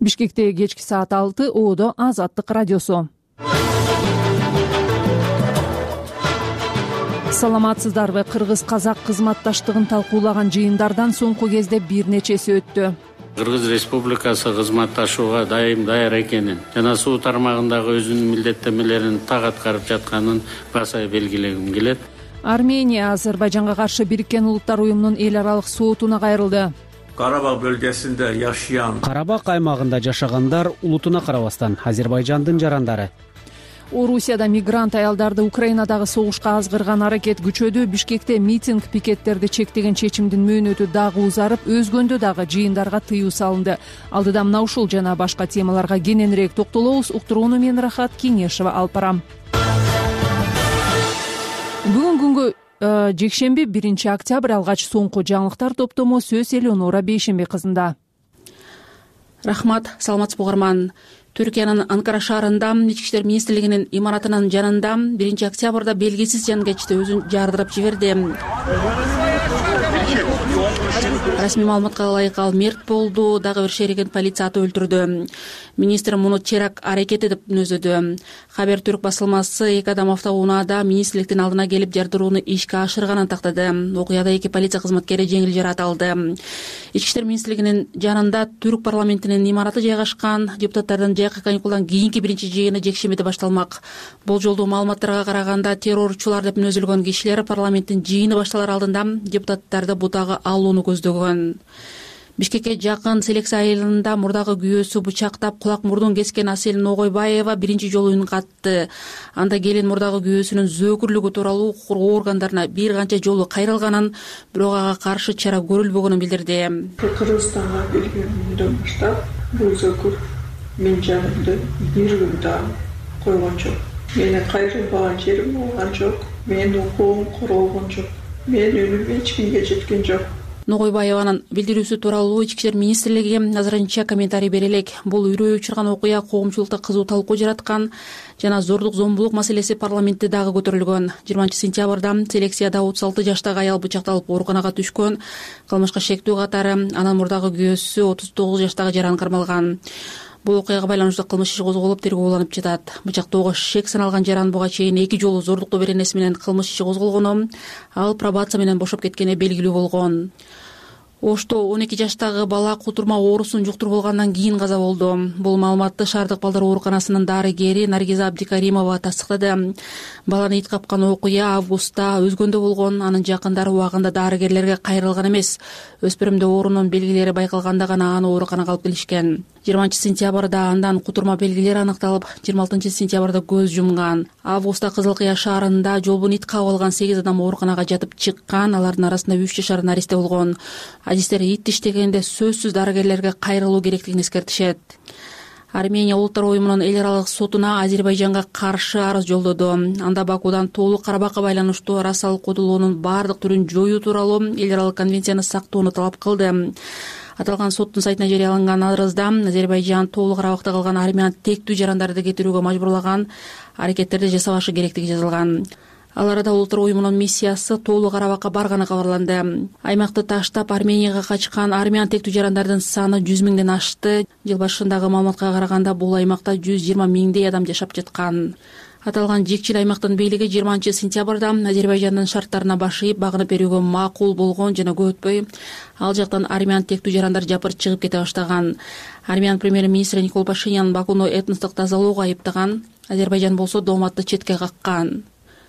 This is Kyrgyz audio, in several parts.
Бишкекте кечки саат 6 Оодо Азаттык радиосу. Саламатсыздарбы? Кыргыз-казак кызматташтыгын талкуулаган жыйындардан соңку кезде бир нечеси өттү. Кыргыз Республикасы кызматташууга дайым даяр экенин жана суу тармагындагы өзүнүн милдеттенмелерин так аткарып жатканын баса белгилегим келет. Армения Азербайжанга каршы Бириккен Улуттар уюмунун эл аралык сотуна кайрылды. Карабак бөлгөсүндө жашаган Карабак аймагында жашагандар улутуна карабастан Азербайжандын жарандары. Орусияда мигрант аялдарды Украинадагы согушка азгырган аракет күчөдү. Бишкекте митинг пикеттерди чектеген чечимдин мөөнөтү дагы узарып, өзгөндө дагы жыйындарга тыюу салынды. Алдыда мына ушул жана башка темаларга кененирээк токтолобуз. Уктурууну мен Рахат Кеңешева алып барам. Бүгүн күнгө жекшемби 1 октябрь алгач соңку жаңылыктар топтому сөз Элеонора Бейшембе кызында. Рахмат, саламатсызбы угарман. Түркиянын Анкара шаарында Ички иштер министрлигинин имаратынын жанында 1 октябрда белгисиз жангечти өзүн жардырып жиберди. Расмий маалыматка ылайык ал мерт болду, дагы бир шеригин полиция атып өлтүрдү. Министр муну теракт аракети деп мүнөздөдү. Хабер Түрк басылмасы 2 адам автоунаада министрликтин алдына келип жардырууну ишке ашырганын тактады. Окуяда 2 полиция кызматкери жеңил жаракат алды. Ички иштер министрлигинин жанында Түрк парламентинин имараты жайгашкан. Депутаттардын жайкы каникулдан кийинки биринчи жыйыны жекшембиде башталмак. Болжолдуу маалыматтарга караганда террорчулар деп мүнөзөлгөн кишилер парламенттин жыйыны башталар алдында депутаттарды бутага алууну көздөгөн. Бишкекке жакын Селекция айылында мурдагы күйөөсү бычактап кулак мурдун кескен Асель Ногойбаева биринчи жолу үн катты. Анда келин мурдагы күйөөсүнүн зөөкүрлүгү тууралуу укук органдарына бир канча жолу кайрылганын, бирок ага каршы чара көрүлбөгөнүн билдирди. Кыргызстанга келгенден баштап бул зөөкүр мен жанымды бир күн да койгон жок. Менин кайрылбаган жерим болгон жок. Менин укугум королгон жок. Менин үнүм эч кимге жеткен жок. Ногойбаеванын билдирүүсү тууралуу Ички иштер министрлиги азырынча комментарий бере элек. Бул үрөй учурган окуя коомчулукта кызуу талкуу жараткан жана зордук зомбулук маселеси парламентте дагы көтөрүлгөн. 20 сентябрда Селекцияда 36 жаштагы аял бычакталып ооруканага түшкөн. Кылмышка шектүү катары анын мурдагы күйөөсү 39 жаштагы жаран кармалган. Бул окуяга байланыштуу кылмыш иши козголуп тергөөлөнүп жатат. Бычактоого шек саналган жаран буга чейин 2 жолу зордуктоо беренеси менен кылмыш иши козголгону, ал пробация менен бошоп кеткени белгилүү болгон. Ошто 12 жаштагы бала кутурма оорусун жуктуруп алгандан кийин каза болду. Бул маалыматты шаардык балдар ооруканасынын дарыгери Наргиза Абдикаримова тастыктады. Баланы ит капкан окуя августта өзгөндө болгон. Анын жакындары убагында дарыгерлерге кайрылган эмес. Өспүрүмдө оорунун белгилери байкалганда гана аны ооруканага алып келишкен. 20 сентябрда андан кутурма белгилери аныкталып, 26 сентябрда көз жумган. Августта Кызыл Кыя шаарында жолбун ит кабып алган 8 адам ооруканага жатып чыккан. Алардын арасында 3 жашар наристе болгон. Адистер ит иштегенде сөзсүз дарыгерлерге кайрылуу керектигин эскертишет. Армения Улуттар уюмунун эл аралык сотуна Азербайжанга каршы арыз жолдоду. Анда Бакудан толук Карабакка байланыштуу расалык кодулоонун бардык түрүн жоюу тууралуу эл аралык конвенцияны сактоону талап кылды. Аталган соттун сайтына жарыяланган арызда Азербайжан толук Карабакта калган армян тектүү жарандарды кетирүүгө мажбурлаган аракеттерди жасабашы керектиги жазылган. Ал арада Улуттар уюмунун миссиясы толук Карабакка барганы кабарланды. Аймакты таштап Арменияга качкан армян тектүү жарандардын саны 100 миңден ашты. Жыл башындагы маалыматка караганда бул аймакта 120 миңдей адам жашап жаткан. Аталган жекчил аймактын бийлиги 20 сентябрда Азербайжандын шарттарына баш ийип багынып берүүгө макул болгон жана көп өтпөй ал жактан армян тектүү жарандар жапыр чыгып кете баштаган. Армян премьер-министри Никол Пашинян Бакуну этностук тазалоого айыптаган. Азербайжан болсо дооматты четке каккан.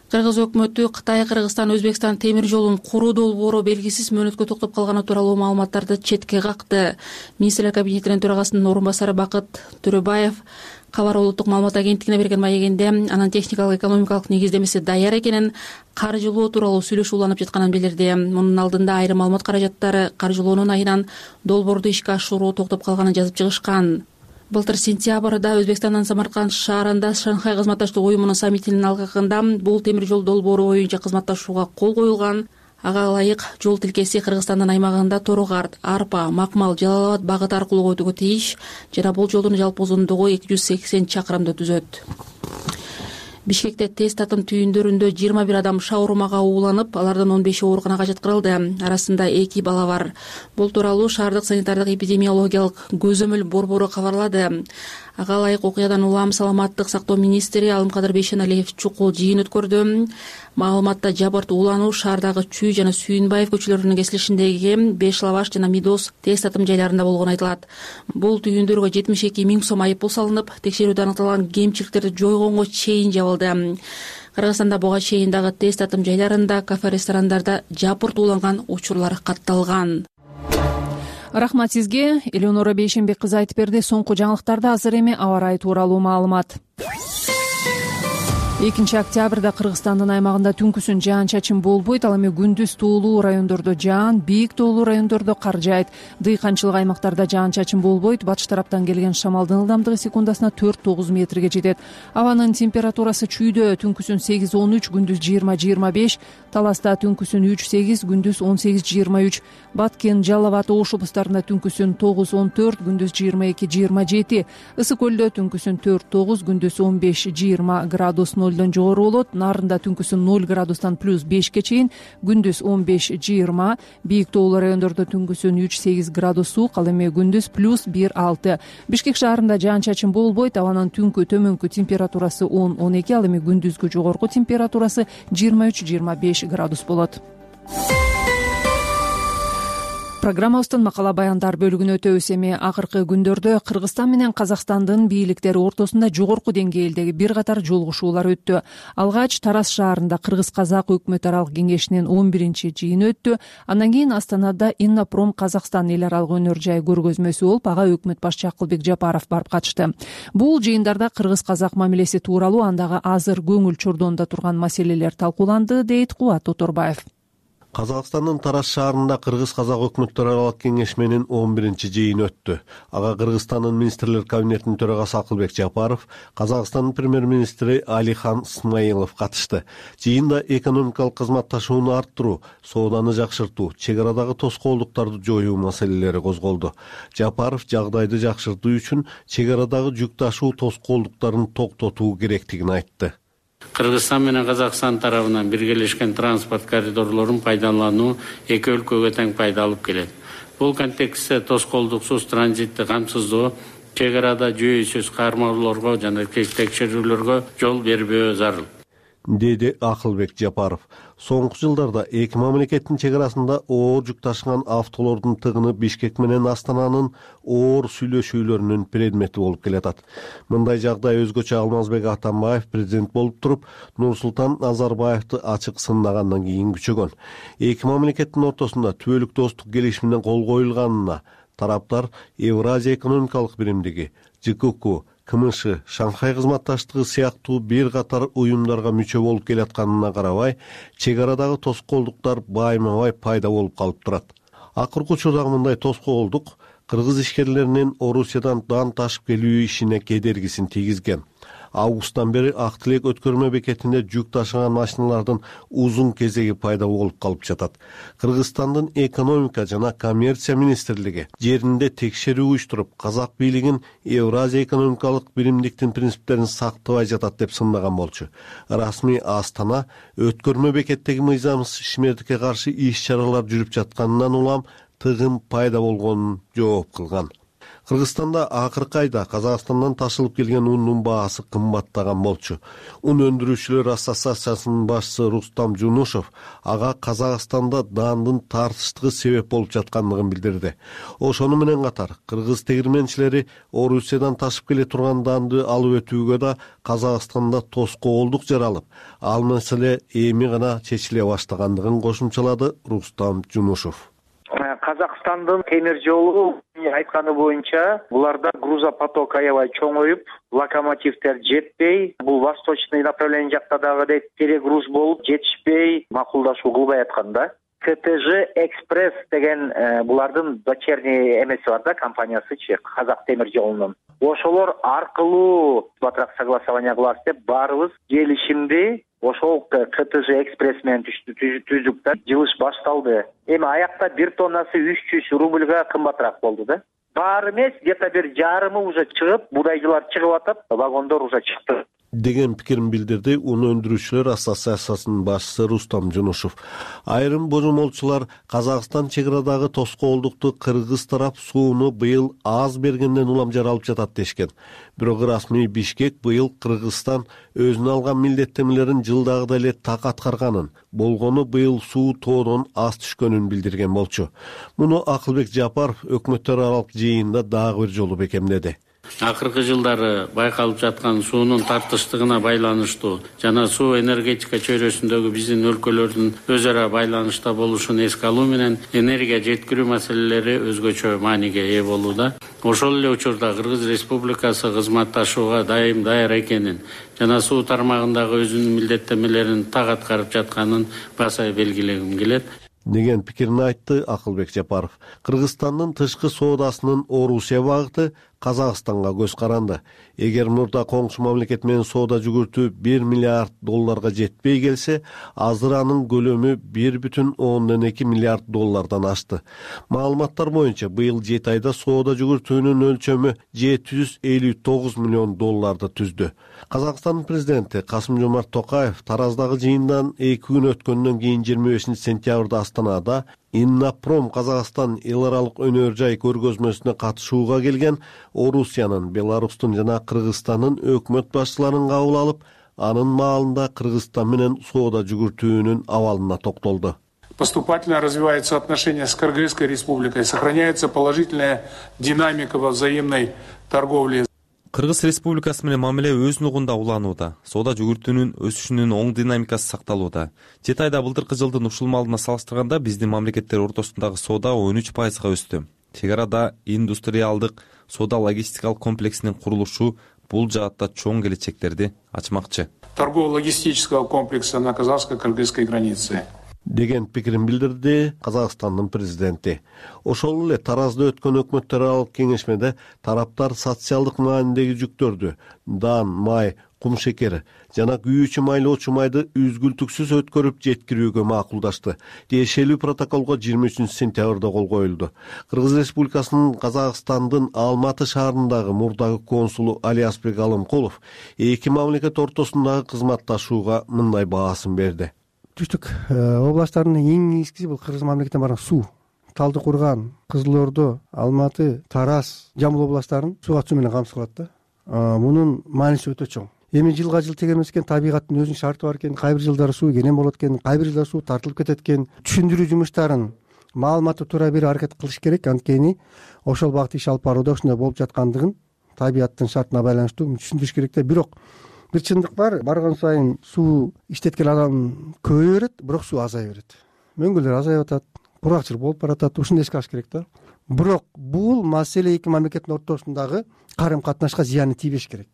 Кыргыз өкмөтү Кытай, Кыргызстан, Өзбекстан темир жолун куруу долбоору белгисиз мөөнөткө токтоп калганы тууралуу маалыматтарды четке какты. Министрлер кабинетинин төрагасынын орун басары Бакыт Төрөбаев Кабар улуттук маалымат агенттигине берген маегинде анын техникалык экономикалык негиздемеси даяр экенин, каржылоо тууралуу сүйлөшүү уланып жатканын билдирди. Мунун алдында айрым маалымат каражаттары каржылоонун айынан долбоорду ишке ашыруу токтоп калганын жазып чыгышкан. Былтыр сентябрда Өзбекстандын Самарканд шаарында Шанхай кызматташтык уюмунун саммитинин алкагында бул темир жол долбоору боюнча кызматташууга кол коюлган. Ага ылайык жол тилкеси Кыргызстандын аймагында Торогар, Арпа, Макмал, Жалал Абад багыты аркылуу өтүүгө тийиш жана бул жолдун жалпы узундугу 280 чакырымды түзөт. Бишкекте тест атым түйүндөрүндө 21 адам шаурмага ууланып, алардын 15 ооруканага жаткырылды. Арасында 2 бала бар. Бул тууралуу шаардык санитардык эпидемиологиялык көзөмөл борбору кабарлады. Ага ылайык окуядан улам саламаттык сактоо министри Алымкадыр Бейшеналиев чукул жыйын өткөрдү. Маалыматта жабырт уулануу шаардагы Чүй жана Сүйүнбаев көчөлөрүнүн кесилишиндеги 5 Лаваш жана Мидос тест атым жайларында болгону айтылат. Бул түйүндөргө 72 миң сом айыппул салынып, текшерүүдө аныкталган кемчиликтерди жойгонго чейин жабылды. Кыргызстанда буга чейин дагы тест атым жайларында, кафе, ресторандарда жапырт ууланган учурлар катталган. Рахмат сизге. Элеонора Бейшенбек кызы айтып берди. Соңку жаңылыктарда азыр эми аба ырайы тууралуу маалымат. 2 октябрда Кыргызстандын аймагында түнкүсүн жаан-чачын болбойт, ал эми күндүз тоолуу райондордо жаан, бийик тоолуу райондордо кар жаайт. Дыйканчылык аймактарда жаан-чачын болбойт. Батыш тараптан келген шамалдын ылдамдыгы секундасына 4-9 метрге жетет. Абанын температурасы Чүйдө түнкүсүн 8-13, күндүз 20-25, Таласта түнкүсүн 3-8, күндүз 18-23, Баткен, Жалал Абад, Ош облустарында түнкүсүн 9-14, күндүз 22-27, Ысык көлдө түнкүсүн 4-9, күндүз 15-20 градус нолдон жогору болот. Нарында түнкүсүн 0 градустан +5ке чейин, күндүз 15-20, бийик тоолуу райондордо түнкүсүн 3-8 градус суук, ал эми күндүз +1-6. Бишкек шаарында жаан-чачын болбойт, абанын түнкү төмөнкү температурасы 10-12, ал эми күндүзгү жогорку температурасы 23-25 градус болот. Программабыздын макала баяндар бөлүгүнө өтөбүз. Эми акыркы күндөрдө Кыргызстан менен Казакстандын бийликтери ортосунда жогорку деңгээлдеги бир катар жолугушуулар өттү. Алгач Тарас шаарында Кыргыз-Казак өкмөт аралык кеңешинин 11-чи жыйыны өттү. Андан кийин Астанада Иннопром Казакстан эл аралык өнөр жай көргөзмөсү болуп, ага өкмөт башчы Акылбек Жапаров барып катышты. Бул жыйындарда Кыргыз-Казак мамилеси тууралуу, андагы азыр көңүл чордонунда турган маселелер талкууланды, дейт Кубат Оторбаев. Казакстандын Тарас шаарында Кыргыз-Казак өкмөттөр аралык кеңешменин 11-чи жыйыны өттү. Ага Кыргызстандын министрлер кабинетинин төрагасы Акылбек Жапаров, Казакстандын премьер-министри Алихан Смаилов катышты. Жыйында экономикалык кызматташууну арттыруу, сооданы жакшыртуу, чек арадагы тоскоолдуктарды жоюу маселелери козголду. Жапаров жагдайды жакшыртуу үчүн чек арадагы жүк ташуу тоскоолдуктарын токтотуу керектигин айтты. Кыргызстан менен Казакстан тарабынан биргелешкен транспорт коридорлорун пайдалануу эки өлкөгө тең пайда алып келет. Бул контекстте тоскоолдуксуз транзитти камсыздоо, чек арада жүйөсүз кармоолорго жана текшерүүлөргө жол бербөө зарыл, деди Акылбек Жапаров. Соңку жылдарда эки мамлекеттин чек арасында оор жүк ташыган автолордун тыгыны Бишкек менен Астананын оор сүйлөшүүлөрүнүн предмети болуп келатат. Мындай жагдай өзгөчө Алмазбек Атамбаев президент болуп туруп, Нурсултан Назарбаевди ачык сыннагандан кийин күчөгөн. Эки мамлекеттин ортосунда түбөлүк достук келишимине кол коюлганына тараптар Евразия экономикалык биримдиги, ЖКК, КМШ, Шанхай кызматташтыгы сыяктуу бир катар уюмдарга мүчө болуп келатканына карабай, чек арадагы тоскоолдуктар байма-бай пайда болуп калып турат. Акыркы учурдагы мындай тоскоолдук кыргыз ишкерлеринин Орусиядан дан ташып келүү ишине кедергисин тийгизген. Августтан бери Ак Тилек өткөрмө бекетинде жүк ташыган машиналардын узун кезеги пайда болуп калып жатат. Кыргызстандын экономика жана коммерция министрлиги жеринде текшерүү уюштуруп, казак бийлигин Евразия экономикалык биримдиктин принциптерин сактабай жатат деп сындаган болчу. Расмий Астана өткөрмө бекеттеги мыйзамсыз ишмердикке каршы иш-чаралар жүрүп жатканынан улам тыгын пайда болгонун жооп кылган. Кыргызстанда акыркы айда Казакстандан ташылып келген ундун баасы кымбаттаган болчу. Ун өндүрүүчүлөр ассоциациясынын башчысы Рустам Жунушов ага Казакстанда дандын тартыштыгы себеп болуп жаткандыгын билдирди. Ошону менен катар кыргыз тегирменчилери Орусиядан ташып келе турган данды алып өтүүгө да Казакстанда тоскоолдук жаралып, ал маселе эми гана чечиле баштагандыгын кошумчалады Рустам Жунушов. Казакстандын темир жолу айтканы боюнча буларда грузопоток аябай чоңоюп, локомотивдер жетпей, бул восточный направление жакта дагы перегруз болуп жетишпей макулдашуу кылбай аткан да. КТЖ Экспресс деген булардын дочерний эмеси бар да, компаниясычы, Казак темир жолунун. Ошолор аркылуу батыраак согласование кылабыз деп баарыбыз келишимди ошол КТЖ Экспресс менен түздүк да, жылыш башталды. Эми аякта 1 тоннасы 300 рубльга кымбатыраак болду да. Баары эмес, где-то бир жарымы уже чыгып, будайчылар чыгып атат, вагондор уже чыкты. деген пикирин билдирди un өндүрүүчүлөр ассоциациясынын башчысы Рустам Жунушев. Айрым божомолчулар Казакстан чек арадагы тоскоолдукту кыргыз тарап сууну быйыл аз бергенден уламжар алып жатат дешкен. Бирок расмий Бишкек быйыл Кыргызстан өзүнө алган милдеттенмелерин жылдагыдай эле так аткарганын, болгону быйыл суу тоодон аз түшкөнүн билдирген болчу. Муну Акылбек Жапаров өкмөттөр аралык жыйында дагы бир жолу бекемдеди. Акыркы жылдары байкалып жаткан суунун тартыштыгына байланыштуу жана суу энергетика чөйрөсүндөгү биздин өлкөлөрдүн өз ара байланышта болушун эске алуу менен энергия жеткирүү маселелери өзгөчө мааниге ээ болууда. Ошол эле учурда Кыргыз Республикасы кызматташууга дайым даяр экенин жана суу тармагындагы өзүнүн милдеттенмелерин так аткарып жатканын баса белгилегим келет деген пикирин айтты Акылбек Жапаров. Кыргызстандын тышкы соодасынын Орусия багыты Казакстанга көз каранды. Эгер мурда коңшу мамлекет менен соода жүгүртүү $1 миллиард жетпей келсе, азыр анын көлөмү $1,2 миллиард ашты. Маалыматтар боюнча быйыл 7 айда соода жүгүртүүнүн өлчөмү $759 миллион түздү. Казакстандын президенти Касым-Жомарт Токаев Тараздагы жыйындан 2 күн өткөндөн кийин 25 сентябрда Астанада Иннопром Казакстан эл аралык өнөр жай көргөзмөсүнө катышууга келген Орусиянын, Беларустун жана Кыргызстандын өкмөт башчыларын кабыл алып, анын маалында Кыргызстан менен соода жүгүртүүнүн абалына токтолду. Поступательно развиваются отношения с Кыргызской республикой, сохраняется положительная динамика во взаимной торговле. Кыргыз Республикасы менен мамиле өз нугунда уланууда. Соода жүгүртүүнүн өсүшүнүн оң динамикасы сакталууда. 7 айда былтыркы жылдын ушул маалына салыштырганда биздин мамлекеттер ортосундагы соода 13%га өстү. Чек арада индустриалдык соода логистикалык комплексинин курулушу бул жаатта чоң келечектерди ачмакчы. Торгово-логистического комплекса на казахско-кыргызской границе деген пикирин билдирди Казакстандын президенти. Ошол эле Таразда өткөн өкмөттөр аралык кеңешмеде тараптар социалдык маанидеги жүктөрдү дан, май, кум шекери жана күйүүчү майлоочу майды үзгүлтүксүз өткөрүп жеткирүүгө макулдашты. Тиешелүү протоколго 23 сентябрда кол коюлду. Кыргыз Республикасынын Казакстандын Алматы шаарындагы мурдагы консулу Алиасбек Алымкулов эки мамлекет ортосундагы кызматташууга мындай баасын берди. Түштүк областтардын эң негизгиси бул Кыргыз мамлекетине барган суу. Талды Курган, Кызыл Ордо, Алматы, Тараз, Жамбыл областтарын сууга чуу менен камсыз кылат да. Мунун мааниси өтө чоң. Эми жылга жыл тегермес экен, табигаттын өзүнүн шарты бар экен, кайбир жылдары суу кенен болот экен, кайбир жылдары суу тартылып кетет экен. Түшүндүрүү жумуштарын маалыматты туура берип аракет кылыш керек, анткени ошол багытта иш алып барууда ушундай болуп жаткандыгын табигаттын шартына байланыштуу түшүндүрүш керек да. Бирок бир чындык бар, барган сайын суу иштеткен адам көбөйө берет, бирок суу азая берет. Мөңгүлдөр азайып атат, кургакчылык болуп баратат, ушуну эске алыш керек да. Бирок бул маселе эки мамлекеттин ортосундагы карым катнашка зыяны тийбеш керек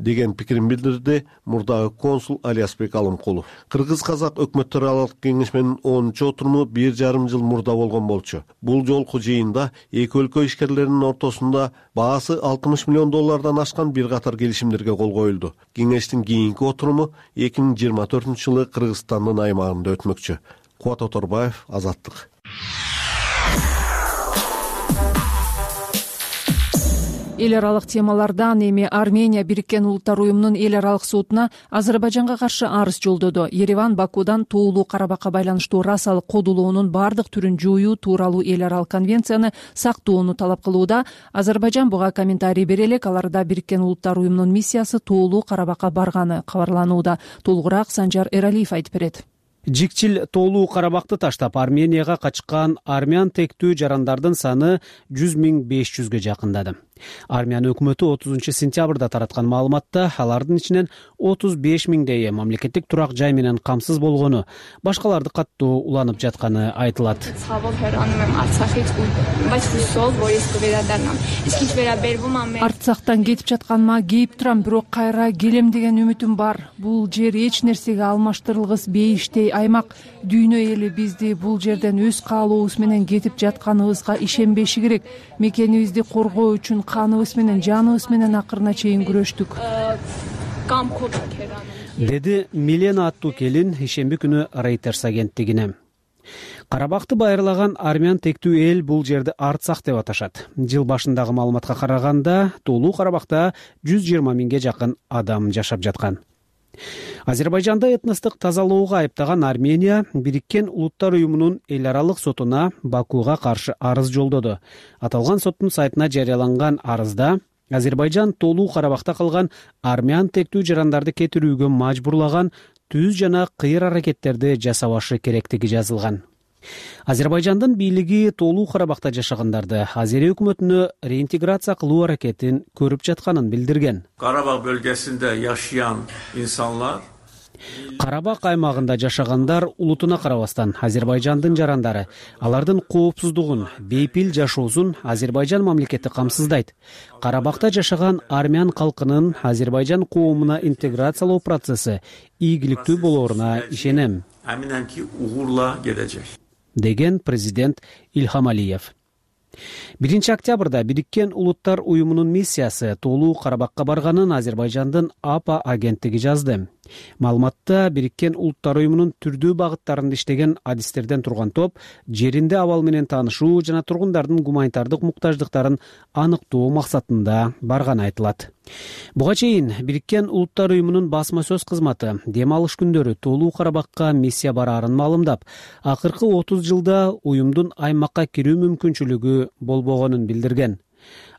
деген пикирин билдирди мурдагы консул Алиасбек Алымкулов. Кыргыз-казак өкмөттөр аралык кеңешменин 10-чу отуруму 1,5 жыл мурда болгон болчу. Бул жолку жыйында эки өлкө ишкерлеринин ортосунда баасы $60 миллион ашкан бир катар келишимдерге кол коюлду. Кеңештин кийинки отуруму 2024-жылы Кыргызстандын аймагында өтмөкчү. Кубат Оторбаев, Азаттык. Эл аралык темалардан эми Армения Бириккен Улуттар уюмунун эл аралык сотуна Азербайжанга каршы арыз жолдоду. Ереван Бакудан Тоолуу Карабакка байланыштуу расалык кодулоонун бардык түрүн жоюу тууралуу эл аралык конвенцияны сактоону талап кылууда. Азербайжан буга комментарий бере элек, аларда Бириккен Улуттар уюмунун миссиясы Тоолуу Карабакка барганы кабарланууда. Толугураак Санжар Эралиев айтып берет. Жикчил Тоолуу Карабакты таштап Арменияга качкан армян тектүү жарандардын саны 100,500ге жакындады. Армян өкмөтү 30 сентябрда тараткан маалыматта алардын ичинен 35,000 мамлекеттик турак жай менен камсыз болгону, башкаларды каттуу уланып жатканы айтылат. Арцахтан кетип жатканыма кейип турам, бирок кайра келем деген үмүтүм бар. Бул жер эч нерсеге алмаштырылгыс бейиштей аймак. Дүйнө эли бизди бул жерден өз каалообуз менен кетип жатканыбызга ишенбеши керек. Мекенибизди коргоо үчүн каныбыз менен, жаныбыз менен акырына чейин күрөштүк. Деди Милена аттуу келин ишемби күнү Reuters агенттигине. Карабакты байырлаган армян тектүү эл бул жерди Арцах деп аташат. Жыл башындагы маалыматка караганда Тоолуу Карабакта 120 миңге жакын адам жашап жаткан. Азербайжанда этностук тазалоого айыптаган Армения Бириккен Улуттар уюмунун эл аралык сотуна Бакуга каршы арыз жолдоду. Аталган соттун сайтына жарыяланган арызда Азербайжан Тоолуу Карабакта калган армян тектүү жарандарды кетирүүгө мажбурлаган түз жана кыйыр аракеттерди жасабашы керектиги жазылган. Азербайжандын бийлиги Тоолуу Карабакта жашагандарды Азерия өкмөтүнө реинтеграция кылуу аракетин көрүп жатканын билдирген. Карабак бөлгесинде yaşayan insanlar Карабак аймагында жашагандар улутуна карабастан Азербайжандын жарандары алардын коопсуздугун, бейпил жашоосун Азербайжан мамлекети камсыздайт. Карабакта жашаган армян калкынын Азербайжан коомуна интеграциялоо процесси ийгиликтүү болооруна ишенем. Eminim ki uğurla gelecek. Деген президент Ильхам Алиев. 1 октябрда Бириккен Улуттар уюмунун миссиясы Тоолуу Карабакка барганын Азербайжандын АПА агенттиги жазды. Маалыматта Бириккен Улуттар уюмунун түрдүү багыттарында иштеген адистерден турган топ жеринде абал менен таанышуу жана тургундардын гуманитардык муктаждыктарын аныктоо максатында барганы айтылат. Буга чейин Бириккен Улуттар уюмунун басма сөз кызматы дем алыш күндөрү Тоолуу Карабакка миссия бараарын маалымдап, акыркы 30 жылда уюмдун аймакка кирүү мүмкүнчүлүгү болбогонун билдирген.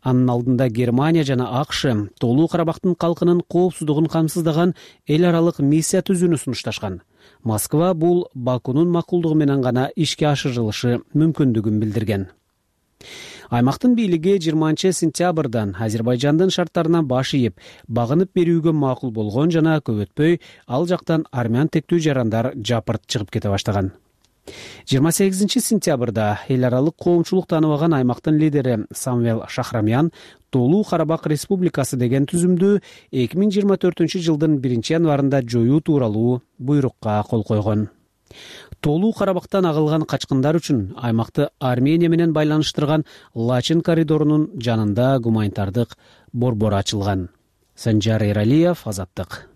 Анын алдында Германия жана АКШ Тоолуу Карабактын калкынын коопсуздугун камсыздаган эл аралык миссия түзүүнү сунушташкан. Москва бул Бакунун макулдугу менен гана ишке ашырылышы мүмкүндүгүн билдирген. Аймактын бийлиги 20 сентябрдан Азербайжандын шарттарына баш ийип, багынып берүүгө макул болгон жана көп өтпөй ал жактан армян тектүү жарандар жапырт чыгып кете баштаган. 28 сентябрда эл аралык коомчулук тааныбаган аймактын лидери Самвел Шахрамян Тоолуу Карабак Республикасы деген түзүмдү 2024 жылдын 1 январында жоюу тууралуу буйрукка кол койгон. Тоолуу Карабактан агылган качкындар үчүн аймакты Армения менен байланыштырган Лачын коридорунун жанында гуманитардык борбор ачылган. Санжар Эралиев, Азаттык.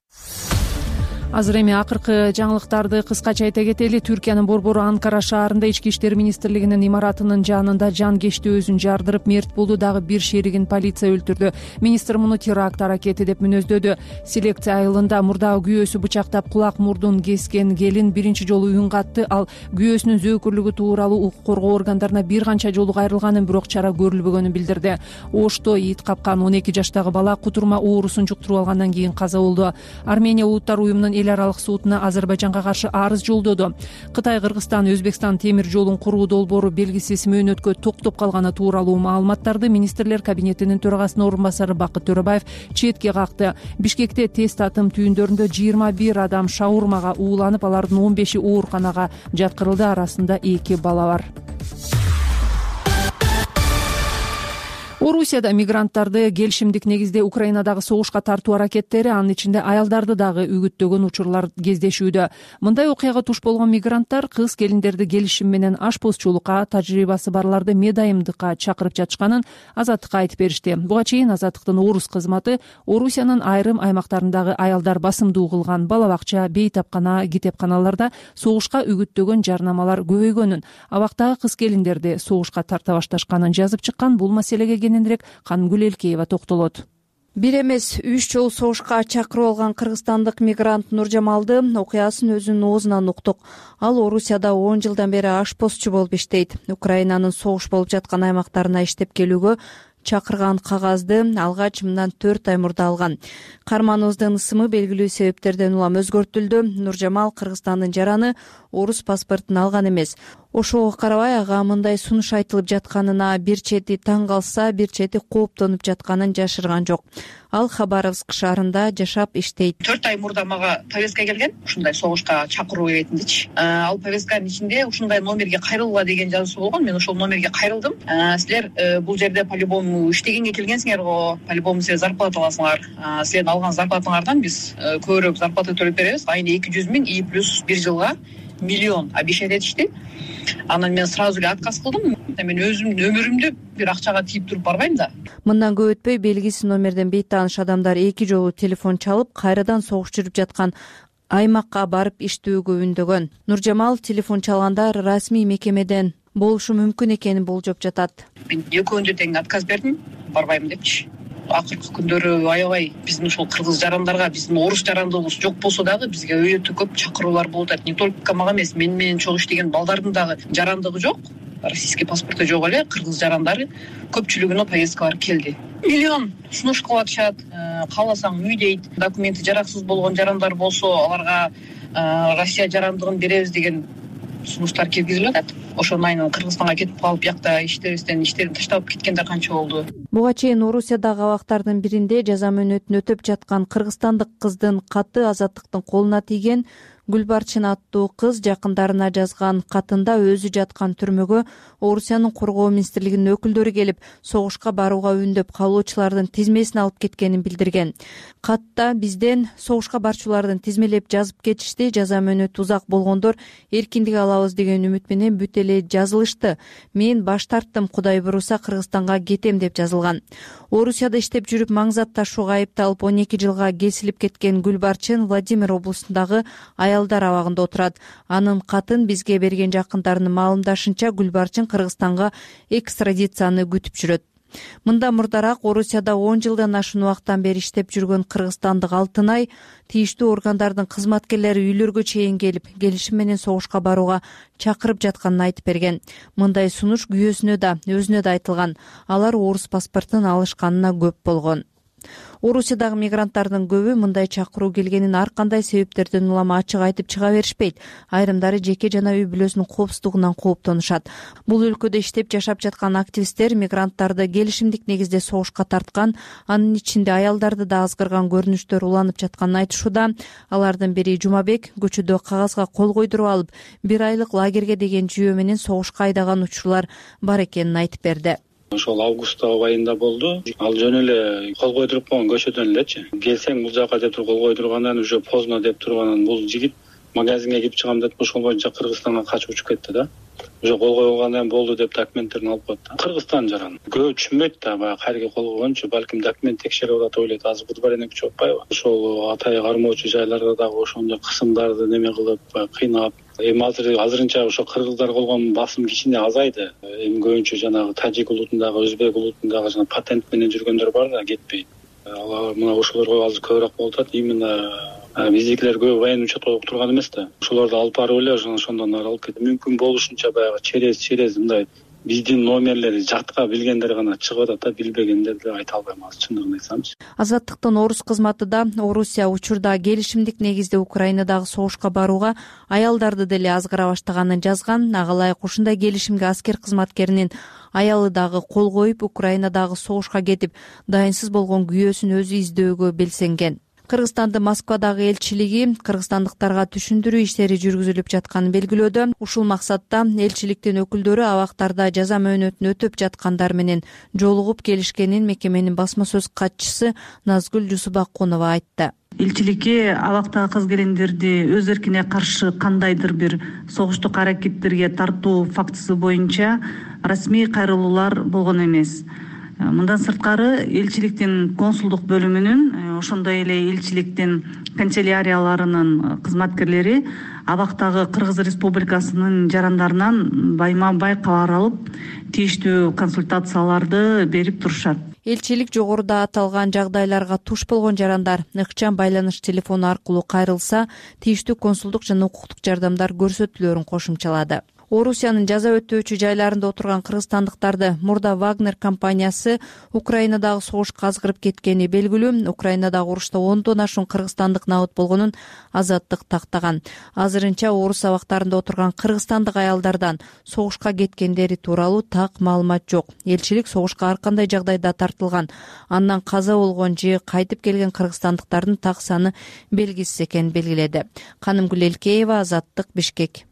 Азыр эми акыркы жаңылыктарды кыскача айта кетели. Түркиянын борбору Анкара шаарында ички иштер министрлигинин имаратынын жанында жан кечти өзүн жардырып мерт болду. Дагы бир шеригин полиция өлтүрдү. Министр муну теракт аракети деп мүнөздөдү. Селекция айылында мурдагы күйөөсү бычактап кулак мурдун кескен келин биринчи жолу үн катты. Ал күйөөсүнүн зөөкүрлүгү тууралуу укук коргоо органдарына бир канча жолу кайрылганын, бирок чара көрүлбөгөнүн билдирди. Ошто ит капкан 12 жаштагы бала кутурма оорусун жуктуруп алгандан кийин каза болду. Армения Улуттар уюмунун эл аралык сотуна Азербайжанга каршы арыз жолдоду. Кытай, Кыргызстан, Өзбекстан темир жолун куруу долбоору белгисиз мөөнөткө токтоп калганы тууралуу маалыматтарды министрлер кабинетинин төрагасынын орун басары Бакыт Төрөбаев четке какты. Бишкекте тест атым түйүндөрүндө 21 адам шаурмага ууланып, алардын 15и ооруканага жаткырылды, арасында 2 бала бар. Орусияда мигранттарды келишимдик негизде Украинадагы согушка тартуу аракеттери, анын ичинде аялдарды дагы үгүттөгөн учурлар кездешүүдө. Мындай окуяга туш болгон мигранттар кыз келиндерди келишим менен ашпозчулукка, тажрыйбасы барларды медайымдыкка чакырып жатышканын Азаттыкка айтып беришти. Буга чейин Азаттыктын орус кызматы Орусиянын айрым аймактарындагы аялдар басымдуу кылган бала бакча, бейтапкана, китепканаларда согушка үгүттөгөн жарнамалар көбөйгөнүн, абактагы кыз келиндерди согушка тарта башташканын жазып чыккан. Бул маселеге кененирээк Канымгүл Элкеева токтолот. Бир эмес 3 жолу согушка чакырып алган кыргызстандык мигрант Нуржамалды окуясын өзүнүн оозунан уктук. Ал Орусияда 10 жылдан бери ашпозчу болуп иштейт. Украинанын согуш болуп жаткан аймактарына иштеп келүүгө чакырган кагазды алгач мындан 4 ай мурда алган. Карманыбыздын ысымы белгилүү себептерден улам өзгөртүлдү. Нуржамал Кыргызстандын жараны орус паспортун алган эмес. Ошого карабай ага мындай сунуш айтылып жатканына бир чети таң калса, бир чети кооптонуп жатканын жашырган жок. Ал Хабаровск шаарында жашап иштейт. 4 ай мурда мага повестка келген, ушундай согушка чакыруу кетиндичи. Ал повестканын ичинде ушундай номерге кайрылгыла деген жазуусу болгон. Мен ошол номерге кайрылдым. Силер бул жерде по-любому иштегенге келгенсиңер го, по-любому силер зарплата аласыңар. Силердин алган зарплатаңардан биз көбүрөөк зарплата төлөп беребиз. Айына 200 миң и плюс 1 жылга миллион обещать этишти. Анан мен сразу эле отказ кылдым. Мен өзүмдүн өмүрүмдү бир акчага тийип туруп барбайм да. Мындан көп өтпөй белгисиз номерден бейтааныш адамдар 2 жолу телефон чалып, кайрадан согуш жүрүп жаткан аймакка барып иштөөгө үндөгөн. Нуржамал телефон чалганда расмий мекемеден болушу мүмкүн экенин болжоп жатат. Мен экөөндө тең отказ бердим, барбайм депчи. Акыркы күндөрү аябай биздин ушул кыргыз жарандарга, биздин орус жарандыгыбыз жок болсо дагы бизге өтө көп чакыруулар болуп атат. Не только мага эмес, менен чогуу иштеген балдардын дагы жарандыгы жок, российский паспорту жок эле кыргыз жарандары көпчүлүгүнө повесткалар келди. Миллион сунуш кылып атышат. Кааласаң үй дейт. Документи жараксыз болгон жарандар болсо, аларга Россия жарандыгын беребиз деген сунуштар киргизилип атат. Ошонун айынан Кыргызстанга кетип калып, бияқта иштебестен иштерин таштап кеткендер канча болду. Буга чейин Орусиядагы абактардын биринде жаза мөөнөтүн өтөп жаткан кыргызстандык кыздын каты Азаттыктын колуна тийген. Гүлбарчын аттуу кыз жакындарына жазган катында өзү жаткан түрмөгө Орусиянын коргоо министрлигинин өкүлдөрү келип, согушка барууга үндөп калуучулардын тизмесин алып кеткенин билдирген. Катта бизден согушка барчулардын тизмелеп жазып кетишти, жаза мөөнөтү узак болгондор эркиндик алабыз деген үмүт менен бүт эле жазылышты. Мен баш тарттым, Кудай буйруса Кыргызстанга кетем деп жазылган. Орусияда иштеп жүрүп маң зат ташууга айыпталып 12 жылга кесилип кеткен Гүлбарчын Владимир облусундагы аялдар абагында отурат. Анын катын бизге берген жакындарынын маалымдашынча, Гүлбарчын Кыргызстанга экстрадицияны күтүп жүрөт. Мында мурдараак Орусияда 10 жылдан ашуун убакыттан бери иштеп жүргөн кыргызстандык Алтынай тийиштүү органдардын кызматкерлери үйлөргө чейин келип, келишим менен согушка барууга чакырып жатканын айтып берген. Мындай сунуш күйөөсүнө да, өзүнө да айтылган. Алар орус паспортун алышканына көп болгон. Орусиядагы мигранттардын көбү мындай чакыруу келгенин ар кандай себептерден улама ачык айтып чыга беришпейт. Айрымдары жеке жана үй бүлөсүнүн коопсуздугунан кооптонушат. Бул өлкөдө иштеп жашап жаткан активисттер мигранттарды келишимдик негизде согушка тарткан, анын ичинде аялдарды да азгырган көрүнүштөр уланып жатканын айтышууда. Алардын бири Жумабек көчөдө кагазга кол койдуруп алып, 1 айлык лагерге деген жүйө менен согушка айдаган учурлар бар экенин айтып берди. Ошол август айында болду. Ал жөн эле кол койдуруп койгон көчөдөн элечи. Келсең бул жака деп туруп кол койдургандан уже поздно деп турганан бул жигит магазинге кирип чыгам деп ошол боюнча Кыргызстанга качып учуп кетти да. Уже кол койгондан болду деп документтерин алып койду да. Кыргызстан жаран. Көп түшүнбөйт да, баягы кайерге кол койгончу, балким документ текшерип атат ойлойт. Азыр буду бар эне күчүп атпайбы? Ошол атай кармоочу жайларда дагы ошондой кысымдарды неме кылып, кыйнап, эми азырынча ошо кыргыздар болгон басым кичине азайды. Эми көбүнчө жанагы тажик улутундагы, өзбек улутундагы жана патент менен жүргөндөр бар да, кетпей. Алар мына ошолорго азыр көбүрөөк болуп атат. Именно биздикилер көп военный учетко турган эмес да. Ошолорду алып барып эле ошондон ары алып кетти. Мүмкүн болушунча баягы через мындай биздин номерлери жатка билгендер гана чыгып атат да, билбегендер деп айта албайм азыр, чындыгын айтсамчы. Азаттыктын орус кызматы да Орусия учурда келишимдик негизде Украинадагы согушка барууга аялдарды деле азгыра баштаганын жазган. Ага ылайык ушундай келишимге аскер кызматкеринин аялы дагы кол коюп, Украинадагы согушка кетип, дайынсыз болгон күйөөсүн өзү издөөгө белсенген. Кыргызстандын Москвадагы элчилиги кыргызстандыктарга түшүндүрүү иштери жүргүзүлүп жатканын белгилөөдө. Ушул максатта элчиликтин өкүлдөрү абактарда жаза мөөнөтүн өтөп жаткандар менен жолугуп келишкенин мекеменин басма сөз катчысы Назгүл Жусупакунова айтты. Элчиликке абактагы кыз келиндерди өз эркине каршы кандайдыр бир согуштук аракеттерге тартуу фактысы боюнча расмий кайрылуулар болгон эмес. Мындан сырткары элчиликтин консулдук бөлүмүнүн, ошондой эле элчиликтин канцелярияларынын кызматкерлери абактагы Кыргыз Республикасынын жарандарынан байма бай кабар алып, тийиштүү консультацияларды берип турушат. Элчилик жогоруда аталган жагдайларга туш болгон жарандар ыкчам байланыш телефону аркылуу кайрылса, тийиштүү консулдук жана укуктук жардамдар көрсөтүлөөрүн кошумчалады. Орусиянын жаза өтөөчү жайларында отурган кыргызстандыктарды мурда Вагнер компаниясы Украинадагы согушка азгырып кеткени белгилүү. Украинадагы урушта 10дон ашуун кыргызстандык набыт болгонун Азаттык тактаган. Азырынча орус абактарында отурган кыргызстандык аялдардан согушка кеткендери тууралуу так маалымат жок. Элчилик согушка ар кандай жагдайда тартылган, андан каза болгон же кайтып келген кыргызстандыктардын так саны белгисиз экенин белгиледи. Канымгүл Элкеева, Азаттык, Бишкек.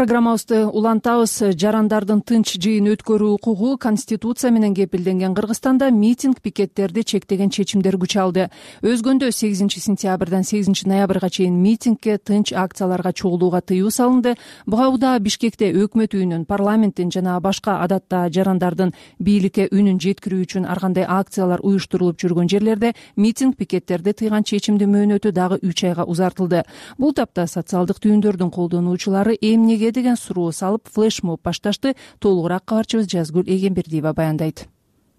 программабызды улантабыз. Жарандардын тынч жыйын өткөрүү укугу Конституция менен кепилденген Кыргызстанда митинг пикеттерди чектеген чечимдер күч алды. Өзгөндө 8 сентябрдан 8 ноябрга чейин митингге, тынч акцияларга чогулууга тыюу салынды. Буга удаа Бишкекте өкмөт үйүнүн, парламенттин жана башка адатта жарандардын бийликке үнүн жеткирүү үчүн ар кандай акциялар уюштурулуп жүргөн жерлерде митинг пикеттерди тыйган чечимдин мөөнөтү дагы 3 айга узартылды. Бул тапта социалдык түйүндөрдүн колдонуучулары эмнеге деген суроо салып флешмоб башташты. Толугураак кабарчыбыз Жазгүл Эгембердиева баяндайт.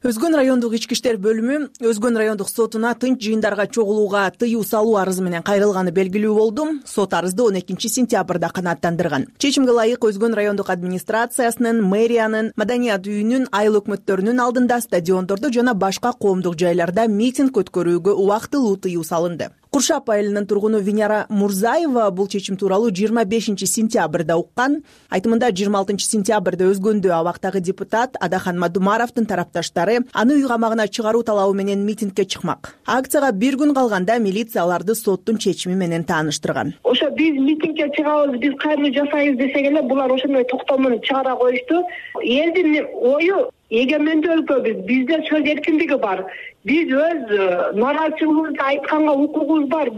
Өзгөн райондук ички иштер бөлүмү Өзгөн райондук сотуна тынч жыйындарга чогулууга тыюу салуу арызы менен кайрылганы белгилүү болду. Сот арызды 12 сентябрда канааттандырган. Чечимге ылайык Өзгөн райондук администрациясынын, мэриянын, маданият үйүнүн, айыл өкмөттөрүнүн алдында, стадиондордо жана башка коомдук жайларда митинг өткөрүүгө убактылуу тыюу салынды. Куршап айылынын тургуну Винера Мурзаева бул чечим тууралуу 25 сентябрда уккан. Айтымында 26 сентябрда Өзгөндө абактагы депутат Адахан Мадумаровдун тарапташтары аны үй камагына чыгаруу талабы менен митингге чыкмак. Акцияга бир күн калганда милиция аларды соттун чечими менен тааныштырган. Ошо биз митингге чыгабыз, биз кайрылуу жасайбыз десек эле булар ошондой токтомун чыгара коюшту. Элдин ою эгемендүү өлкөбүз, бизде сөз эркиндиги бар. Биз өз нааразычылыгыбызды айтканга укугубуз бар.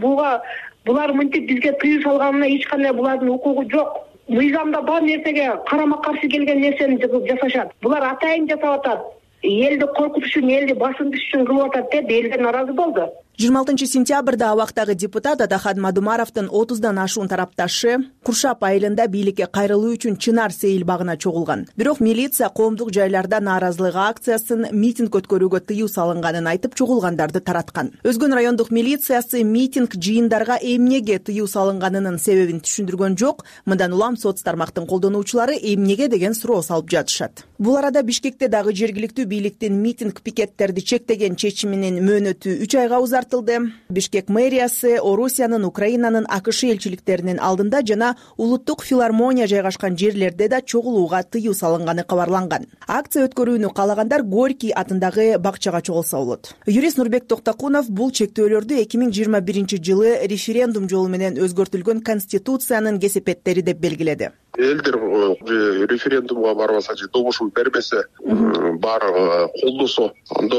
Булар мынтип бизге тыюу салганына эч кандай булардын укугу жок. Мыйзамда бар нерсеге карама каршы келген нерсени жасашат. Булар атайын жасап атат. Элди коркутуш үчүн, элди басынтыш үчүн кылып атат деп элдер нааразы болду. 26 сентябрда абактагы депутат Адахан Мадумаровдун 30дан ашуун тарапташы Куршап айылында бийликке кайрылуу үчүн Чынар Сейил багына чогулган. Бирок милиция коомдук жайларда нааразылык акциясын, митинг өткөрүүгө тыюу салынганын айтып чогулгандарды тараткан. Өзгөн райондук милициясы митинг жыйындарга эмнеге тыюу салынганынын себебин түшүндүргөн жок. Мындан улам соц тармактын колдонуучулары эмнеге деген суроо салып жатышат. Бул арада Бишкекте дагы жергиликтүү бийликтин митинг пикеттерди чектеген чечиминин мөөнөтү 3 айга узартылды. Бишкек мэриясы Орусиянын, Украинанын, АКШ элчиликтеринин алдында жана улуттук филармония жайгашкан жерлерде да чогулууга тыюу салынганы кабарланган. Акция өткөрүүнү каалагандар Горький атындагы бакчага чогулса болот. Юрист Нурбек Токтокунов бул чектөөлөрдү 2021 жылы референдум жолу менен өзгөртүлгөн Конституциянын кесепеттери деп белгиледи. Элдер референдумга барбаса же добушун бербесе, баары колдосо, анда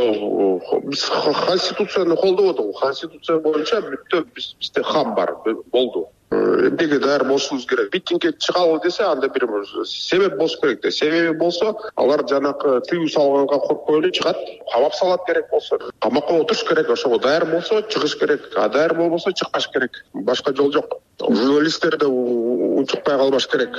биз Конституцияны колдободук. Конституция боюнча бүттө бизде хам бар, болду. Эмнеге даяр болушубуз керек. Митингге чыгалы десе, анда бир себеп болуш керек да. Себеби болсо, алар жанакы тыюу салганга коркпой эле чыгат. Камап салат керек болсо, камакка отуруш керек. Ошого даяр болсо чыгыш керек, а даяр болбосо чыкпаш керек. Башка жол жок. Журналисттер да унчукпай калбаш керек.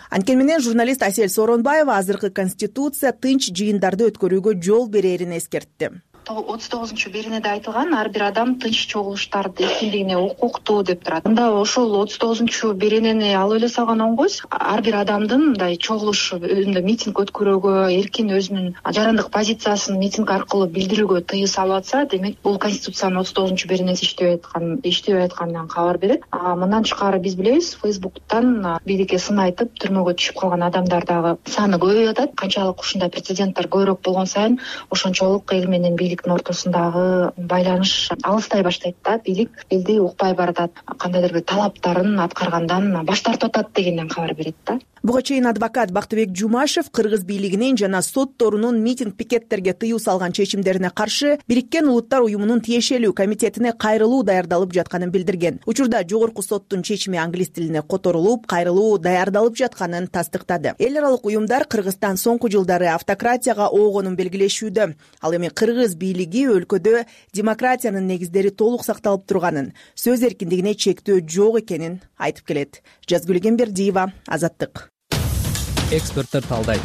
Анткени менен журналист Асель Сооронбаева азыркы Конституция тынч жыйындарды өткөрүүгө жол берерин эскертти. 39-беренеде айтылган ар бир адам тынч чогулуштарды эркиндигине укуктуу деп турат. Мында ошол 39-беренени алып эле салган оңгойсуз. Ар бир адамдын мындай чогулуш, митинг өткөрүүгө, эркин өзүнүн жарандык позициясын митинг аркылуу билдирүүгө тыюу салып атса, демек бул Конституциянын 39-беренеси иштебей атканынан кабар берет. Мындан тышкары биз билебиз, Фейсбуктан бийликке сын айтып түрмөгө түшүп калган адамдар дагы саны көбөйүп атат. Канчалык ушундай прецеденттер көбүрөөк болгон сайын ошончолук эл менен бийликтин ортосундагы байланыш алыстай баштайт да. Бийлик элди укпай баратат, кандайдыр бир талаптарын аткаргандан баш тартып атат дегенден кабар берет да. Буга чейин адвокат Бактыбек Жумашев кыргыз бийлигинин жана сотторунун митинг пикеттерге тыюу салган чечимдерине каршы Бириккен Улуттар уюмунун тиешелүү комитетине кайрылуу даярдалып жатканын билдирген. Учурда жогорку соттун чечими англис тилине которулуп, кайрылуу даярдалып жатканын тастыктады. Эл аралык уюмдар Кыргызстан соңку жылдары автократияга оогонун белгилешүүдө. Ал эми кыргыз бийлиги өлкөдө демократиянын негиздери толук сакталып турганын, сөз эркиндигине чектөө жок экенин айтып келет. Жазгүл Эгембердиева, Азаттык. Эксперттер талдайт.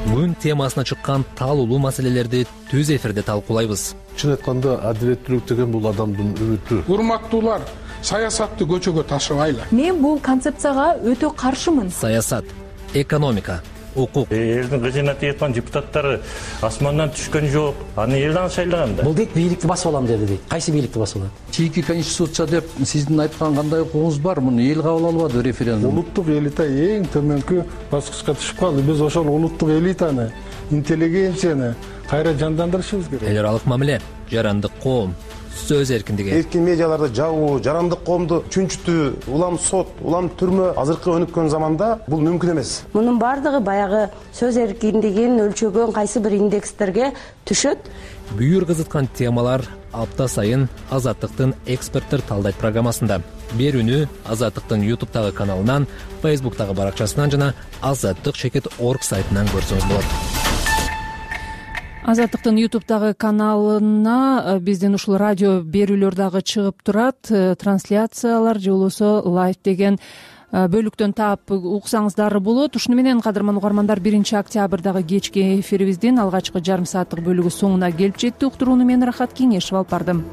Күн темасына чыккан таалуулуу маселелерди түз эфирде талкуулайбыз. Чын айтканда адилеттүүлүк деген бул адамдын үмүтү. Урматтуулар, саясатты көчөгө ташыбайлы. Мен бул концепцияга өтө каршымын. Саясат, экономика, укук. Элдин кызына тияткан депутаттары асмандан түшкөн жок. Аны элден шайлаган да. Бул дейт бийликти басып алам деди дейт. Кайсы бийликти басып алат? Чийки конституция деп сиздин айткан кандай укугуңуз бар? Муну эл кабыл албады референдум. Улуттук элита эң төмөнкү баскычка түшүп калды. Биз ошол улуттук элитаны, интеллигенцияны кайра жандандырышыбыз керек. Эл аралык мамиле, жарандык коом, сөз эркиндиги. Эркин медиаларды жабуу, жарандык коомду чүнчүтүү, улам сот, улам түрмө азыркы өнүккөн заманда бул мүмкүн эмес. Мунун баардыгы баягы сөз эркиндигин өлчөгөн кайсы бир индекстерге түшөт. Бүйүр кызыткан темалар апта сайын Азаттыктын эксперттер талдайт программасында. Берүүнү Азаттыктын YouTube'тагы каналынан, Facebook'тагы баракчасынан жана azattik.org сайтынан көрсөңүз болот. Азаттыктын YouTube'тагы каналына биздин ушул радио берүүлөр дагы чыгып турат. Трансляциялар же болбосо лайв деген бөлүктөн таап уксаңыздар болот. Ушуну менен кадырман угармандар 1 октябрдагы кечки эфирибиздин алгачкы жарым сааттык бөлүгү соңуна келип жетти. Уктурууну мен Рахат Кеңешев алып бардым.